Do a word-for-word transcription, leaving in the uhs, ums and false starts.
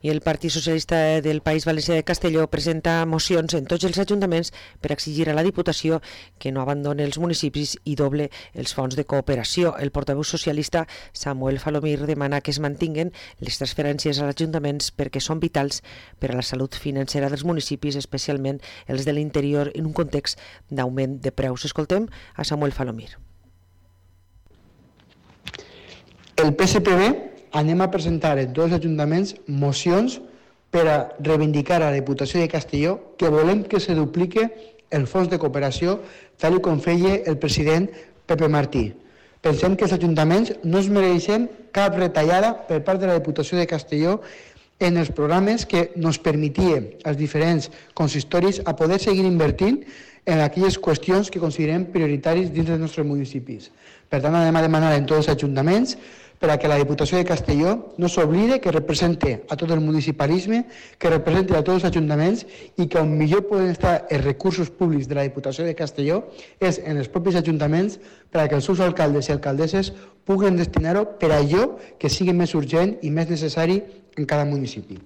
I el Partit Socialista del País Valencià de Castelló presenta mocions en tots els ajuntaments per exigir a la Diputació que no abandoni els municipis i doble els fons de cooperació. El portaveu socialista Samuel Falomir demana que es mantinguen les transferències als ajuntaments perquè són vitals per a la salut financera dels municipis, especialment els de l'interior, en un context d'augment de preus. Escoltem a Samuel Falomir. El P S P B anem a presentar en tots els ajuntaments mocions per a reivindicar a la Diputació de Castelló que volem que se duplique el fons de cooperació tal com feia el president Pepe Martí. Pensem que els ajuntaments no es mereixen cap retallada per part de la Diputació de Castelló en els programes que ens permetien als diferents consistoris a poder seguir invertint en aquelles qüestions que considerem prioritaris dins dels nostres municipis. Per tant, anem a demanar en tots els ajuntaments per a que la Diputació de Castelló no s'oblide que represente a tot el municipalisme, que represente a tots els ajuntaments i que on millor poden estar els recursos públics de la Diputació de Castelló és en els propis ajuntaments per a que els seus alcaldes i alcaldesses puguen destinar-ho per a allò que sigui més urgent i més necessari en cada municipi.